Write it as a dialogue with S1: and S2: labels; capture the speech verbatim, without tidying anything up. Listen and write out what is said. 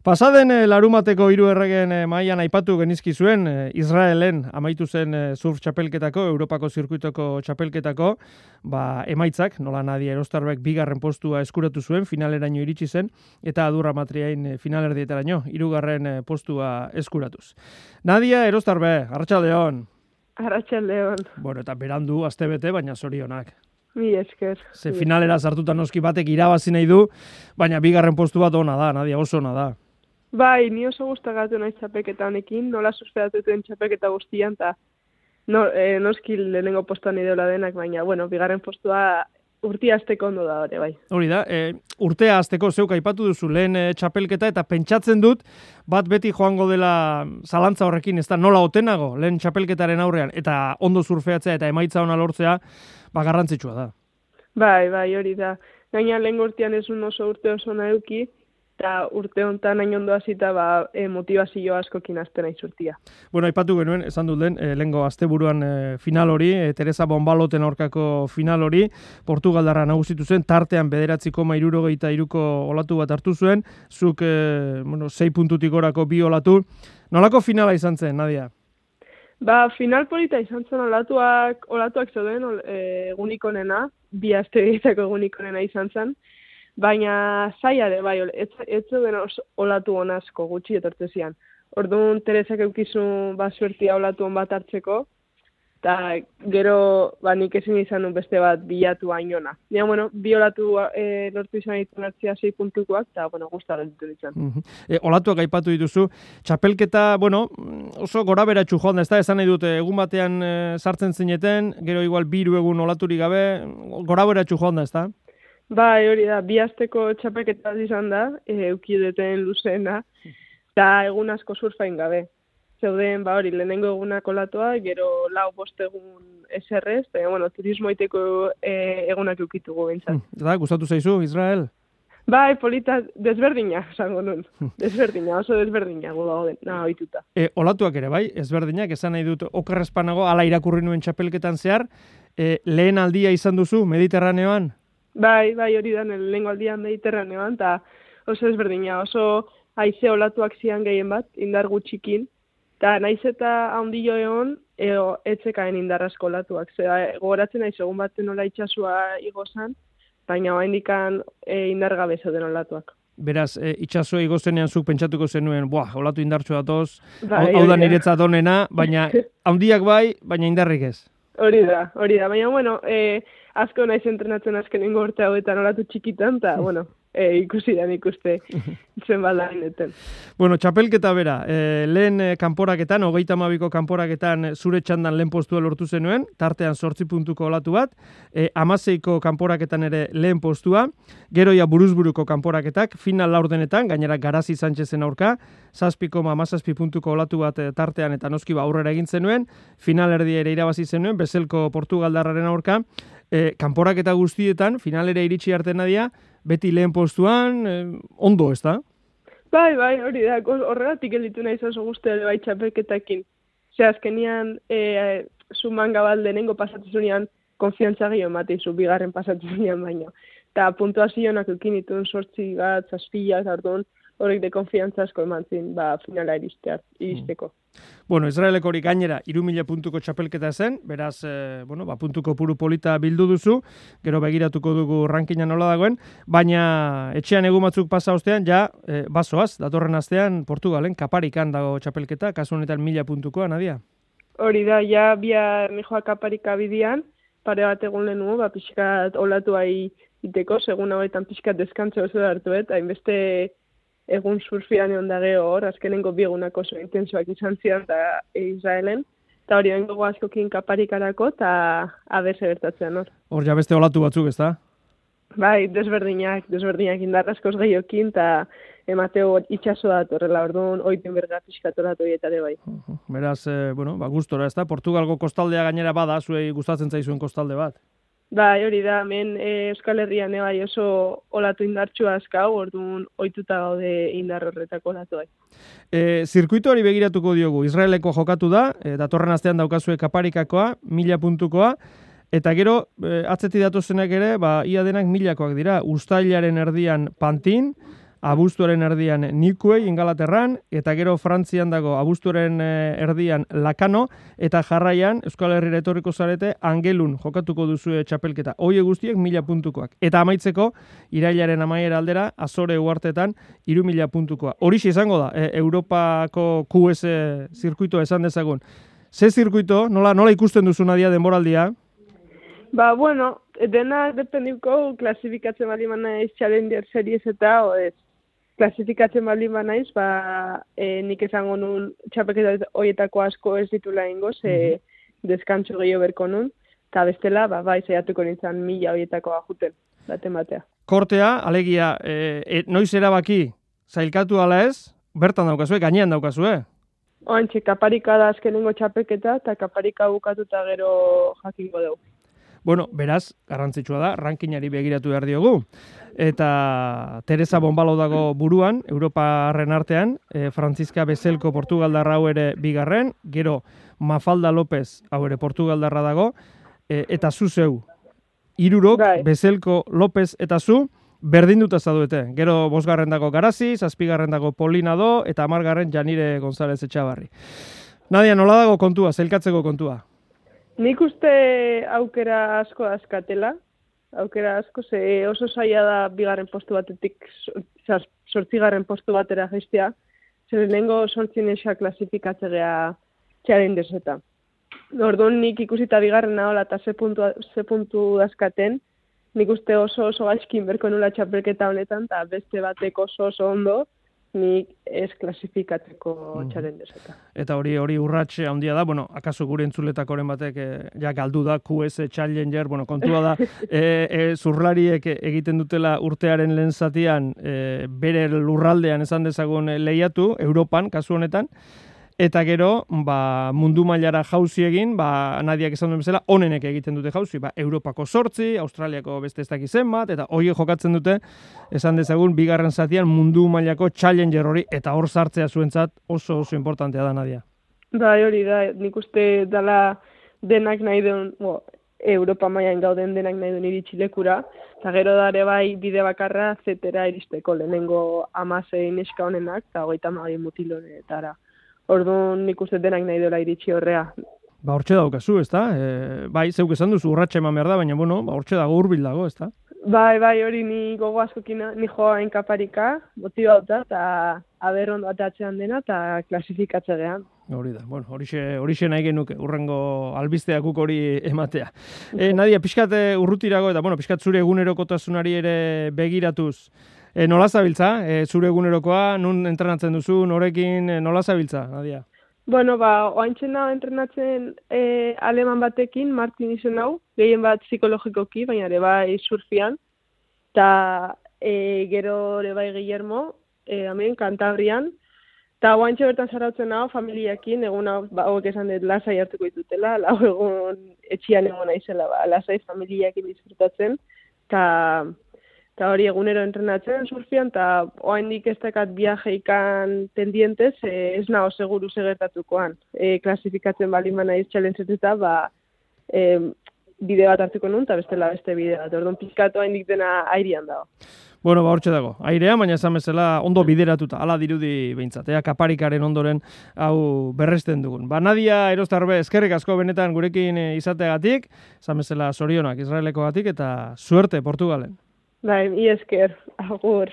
S1: Pasaden eh, larumateko hiru erregen eh, mailan aipatu genizki zuen eh, Israelen amaitu zen eh, surf txapelketako, Europako zirkuitoko txapelketako, ba, emaitzak, nola Nadia Erostarbek bigarren postua eskuratu zuen, finaleraino iritsi zen, eta Adurra Matriain eh, finalerdietaraino, hirugarren eh, postua eskuratuz. Nadia Erostarbe, arratsaldeon.
S2: Arratsaldeon.
S1: Bueno, eta berandu astebete, baina zorionak.
S2: Mi esker.
S1: Ze finalera sartuta noski batek irabazi nahi du, baina bigarren postu bat ona da, Nadia, oso ona da.
S2: Bai, ni oso gustagatu naiz txapelketa honekin, nola susperatu duten txapelketa guztian, eta no, eh, noski lehenengo postuan ideola denak, baina, bueno, bigarren postua urtia hasteko ondo da hori, bai.
S1: Hori da, e, urtea hasteko zeuk aipatu duzu lehen e, txapelketa, eta pentsatzen dut, bat beti joango dela zalantza horrekin, ez da nola otenago lehen txapelketaren aurrean, eta ondo surfeatzea eta emaitza ona lortzea, ba garrantzitsua da.
S2: Bai, bai, hori da. Gaina lehen urtean ez un oso urte oso nahi eta urte honetan hain ondo hasita ba, e, motivazio askokin hasten naiz urtia.
S1: Bueno, aipatu genuen, esan dut den, e, lehengo asteburuan e, final hori, e, Teresa Bonbaloten aurkako final hori, Portugaldarra nagusitu zen, tartean bederatzi koma hirurogeita hiruko olatu bat hartu zuen, zuk e, bueno, sei puntutik gorako bi olatu. Nolako finala izan zen, Nadia?
S2: Ba, final polita izan zen olatuak, olatuak zeuden ol, e, egunik onena, bi aste egiteko egunik onena izan zen, baina zaila ere, bai, ez, ez zeuden olatu on asko gutxi etortzezian. Orduan, Teresak eukizun ba, suertia olatu on bat hartzeko, eta gero ba, nik ezin izan nun beste bat bilatu hainona. Nia, bueno, bi olatu e, lortu izan ditu hartzia sei puntukoak, eta, bueno, gustaren ditu izan.
S1: Uh -huh. e, olatuak aipatu dituzu, txapelketa, bueno, oso gora beratxu joan da, ez da, esan nahi dute, egun batean e, sartzen zineten, gero igual biru egun olaturik gabe, gora beratxu joan da, ez da?
S2: Bai, hori da, bi asteko txapelketa izan da, e, eukideten luzena, eta egun asko surfain gabe. Zeuden, ba hori, lehenengo egunak olatua, gero lau bost egun eserrez, eta, bueno, turismo iteko e, egunak eukitugu bintzat.
S1: Da, gustatu zaizu, Israel?
S2: Bai, polita, desberdina, esango nun. Desberdina, oso desberdina, gudago den, naha oituta.
S1: E, olatuak ere, bai, ezberdinak, esan nahi dut, okerrezpanago, ala irakurri nuen txapelketan zehar, e, lehen aldia izan duzu, Mediterraneoan?
S2: Bai, bai, hori da, lehengo aldian Mediterraneoan, eta oso ezberdina, oso haize olatuak zian gehien bat, indar gutxikin, eta naiz eta handio egon, eo etzekaen indarrazko olatuak. Zera, gogoratzen naiz egun baten nola itxasua igozan, baina hain dikan e, indargabe zeuden olatuak.
S1: Beraz, e, itxasua igozenean zuk pentsatuko zenuen, buah, olatu indartsu datoz,
S2: bai,
S1: hau da niretzat onena, baina handiak bai, baina indarrik ez.
S2: Hori da, hori da, baina, bueno, e, asko naiz entrenatzen azkenengo urte hauetan olatu txikitan, eta, bueno, e, ikusi da ikuste zen baldaineten.
S1: Bueno, txapelketa bera, e, lehen e, kanporaketan, hogeita hamabiko kanporaketan zure txandan lehen postua lortu zenuen, tartean zortzi puntuko olatu bat, e, amaseiko kanporaketan ere lehen postua, geroia buruzburuko kanporaketak, final laurdenetan, gainera Garazi Sánchezen aurka, zazpi koma amazazpi puntuko olatu bat e, tartean eta noski ba aurrera egin zenuen, final erdia ere irabazi zenuen, Bezelko Portugaldarraren aurka, e, kanporaketa guztietan, finalera iritsi arte Nadia, beti lehen postuan, eh, ondo, ez da?
S2: Bai, bai, hori da, horregatik elitu nahi oso guzti ere bai txapelketakin. Zer, azkenian, e, zuman gabal denengo pasatzezunean, konfiantza gehiago ematizu, bigarren pasatzezunean baino. Eta puntuazionak eukin itun sortzi bat, zazpila, eta orduan, horrek de konfiantza asko eman zin, ba, finala iristear, iristeko.
S1: Bueno, Israeleko hori gainera, iru mila puntuko txapelketa zen, beraz, e, bueno, ba, puntuko puru polita bildu duzu, gero begiratuko dugu rankingan nola dagoen, baina etxean egun batzuk pasa ostean, ja, e, basoaz, datorren astean, Portugalen, Kaparikan dago txapelketa, kasu honetan mila puntukoa, Nadia?
S2: Hori da, ja, bia nijoa Kaparika bidian, pare bat egun lehenu, ba, pixkat olatu ahi iteko, segun hauetan pixkat deskantze oso da hartu, eta hainbeste egun surfian egon da geho hor, azkenengo biegunak oso intensuak izan zidan eta Israelen, eta hori bengo askokin Kaparikarako, eta aberse bertatzen hor.
S1: Hor ja beste olatu batzuk, ez da?
S2: Bai, desberdinak, desberdinak indarraskoz gehiokin, eta emateo itxaso da horrela, orduan, oiten berga pixkatoratu dietare bai.
S1: Beraz, eh, bueno, ba, gustora, ez da? Portugalgo kostaldea gainera bada, zuei gustatzen zaizuen kostalde bat.
S2: Bai, hori da, hemen e, Euskal Herrian e, bai oso olatu indartsua azkau, orduan ohituta gaude indar horretako olatu bai.
S1: E, zirkuito hori begiratuko diogu, Israeleko jokatu da, e, datorren astean daukazue Kaparikakoa, mila puntukoa, eta gero, e, atzeti datozenak ere, ba, ia denak milakoak dira, uztailaren erdian Pantin, abuztuaren erdian Nikuei Ingalaterran, eta gero Frantzian dago abuztuaren erdian Lakano, eta jarraian Euskal Herrira etorriko zarete Angelun jokatuko duzue txapelketa. Hoie guztiek mila puntukoak. Eta amaitzeko, irailaren amaiera aldera, Azore uartetan, iru mila puntukoa. Horixe izango da, e, Europako Q S zirkuito esan dezagun. Ze zirkuito, nola, nola ikusten duzu Nadia denboraldia?
S2: Ba, bueno, dena dependiko klasifikatzen bali naiz Challenger Series eta o ez. Klasifikatzen bali naiz, ba, e, nik esango nun txapelketa horietako asko ez ditula ingoz, e, deskantxo gehiago berko nun, eta bestela, ba, bai, zeiatuko nintzen mila horietako ajuten, baten batea.
S1: Kortea, alegia, e, e, noiz erabaki, zailkatu ala ez, bertan daukazue, gainean daukazue?
S2: Oantxe, kaparika da azkenengo txapelketa, eta kaparika bukatuta gero jakingo dugu.
S1: Bueno, beraz, garrantzitsua da, rankinari begiratu behar diogu. Eta Teresa Bonbalo dago buruan, Europarren artean, e, Franziska Bezelko Portugaldarra hau ere bigarren, gero Mafalda López hau ere Portugaldarra dago, e, eta zu zeu, hirurok,
S2: Bai.
S1: Bezelko, López eta zu, berdinduta zaudete. Gero bosgarren dago Garazi, zazpigarren dago Polinado, eta hamargarren Janire González Etxabarri. Nadia, nola dago kontua, zelkatzeko kontua?
S2: Nik uste aukera asko askatela, aukera asko, ze oso zaila da bigarren postu batetik sortzigarren postu batera jaistea, zer lehenengo sortzinexa klasifikatze geha txaren deseta. Orduan nik ikusita bigarren nahola eta ze puntu, ze puntu askaten, nik uste oso oso gaizkin berko nula txapelketa honetan, eta beste batek oso oso ondo, nik ez klasifikatzeko mm. txaren deseta.
S1: Eta hori hori urratxe handia da, bueno, akaso gure entzuletakoren batek e, ja galdu da Q S Challenger, bueno, kontua da, e, e, zurlariek egiten dutela urtearen lehen zatian, e, bere lurraldean esan dezagun lehiatu, Europan, kasu honetan, eta gero, ba, mundu mailara jauzi egin, ba, Nadiak esan duen bezala, onenek egiten dute jauzi, ba, Europako sortzi, Australiako beste ez dakiz zenbat, eta hori jokatzen dute, esan dezagun, bigarren zatian mundu mailako Challenger hori, eta hor sartzea zuentzat oso oso importantea da, Nadia.
S2: Bai, hori da, nik uste dala denak nahi duen, bo, Europa mailan gauden denak nahi duen iritsi lekura, eta gero dare bai bide bakarra zetera iristeko lehenengo amazein neska honenak, eta hogeita hamabi mutilonetara. Orduan nik uste denak nahi dola iritsi horrea.
S1: Ba, hortxe daukazu, ez da? E, bai, zeuk esan duzu, urratxe eman behar da, baina, bueno, ba, hortxe dago hurbil dago, ez da?
S2: Bai, bai, hori ni gogo askokina, ni joa enkaparika, motibauta, eta aber ondo atatzean dena, eta klasifikatze gehan.
S1: Hori da, bueno, horixe, horixe nahi genuke, urrengo albisteakuk hori ematea. E, Nadia, pixkat urrutirago, eta, bueno, pixkat zure egunerokotasunari ere begiratuz, E, nola zabiltza, e, zure egunerokoa, nun entrenatzen duzu, norekin, e, nola zabiltza, Nadia?
S2: Bueno, ba, oaintzen nahi entrenatzen e, aleman batekin, Martin izen hau, gehien bat psikologikoki, baina ere bai surfian, eta e, gero ere bai Guillermo, e, hemen, Kantabrian, eta oaintxe bertan zarautzen hau, familiakin, egun hau, ba, hauek esan dut, lasai hartuko ditutela, lau egun etxian egon naizela, ba, lasai familiakin disfrutatzen, eta... Eta hori egunero entrenatzen surfian, eta oaindik ez dakat viajeikan tendientez, e, ez nago seguru segertatukoan. E, klasifikatzen bali manaiz txalentzeta, ba, e, bide bat hartuko nun, eta bestela beste bide bat. Orduan pizkatu oaindik dena airian dago.
S1: Bueno, ba, hortxe dago. Airea, baina esan bezala ondo bideratuta, ala dirudi behintzat. Ea kaparikaren ondoren hau berresten dugun. Ba, Nadia Erostarbe, eskerrik asko benetan gurekin izateagatik, esan bezala zorionak Israelekogatik, eta suerte Portugalen.
S2: Bai, mi esker, agur.